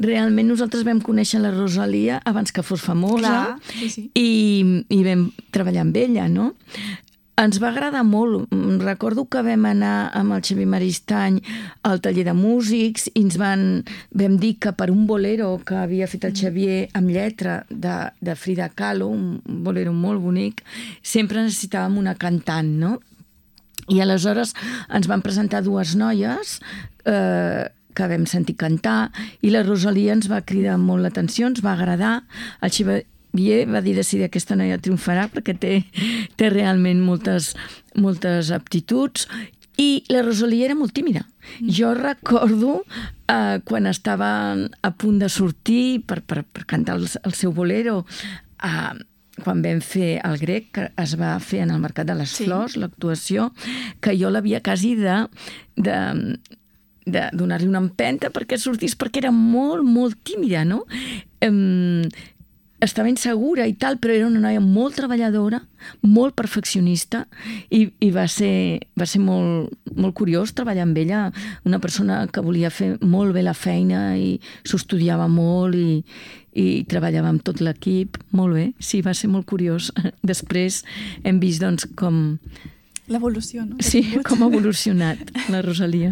realment nosaltres vam conèixer la Rosalia abans que fos famosa. Clar, sí. I vam treballar amb ella, no? Ens va agradar molt. Recordo que vam anar amb el Xavier Maristany al taller de músics i vam dir que per un bolero que havia fet el Xavier amb lletra de Frida Kahlo, un bolero molt bonic, sempre necessitàvem una cantant, no? I aleshores ens van presentar dues noies que vam sentir cantar i la Rosalia ens va cridar molt l'atenció, ens va agradar. El Xavier va dir decidir aquesta noia triomfarà perquè té realment moltes aptituds i la Rosalia era molt tímida. Jo recordo quan estava a punt de sortir per cantar el seu bolero quan vam fer el Grec, que es va fer en el Mercat de les Flors, l'actuació, que jo l'havia quasi de donar-li una empenta perquè sortís, perquè era molt, molt tímida, no? Estava insegura i tal, però era una noia molt treballadora, molt perfeccionista i va ser molt, molt curiós treballar amb ella, una persona que volia fer molt bé la feina i s'ho estudiava molt i treballava amb tot l'equip, molt bé, sí, va ser molt curiós. Després hem vist doncs com... L'evolució, no? Sí, com ha evolucionat la Rosalia.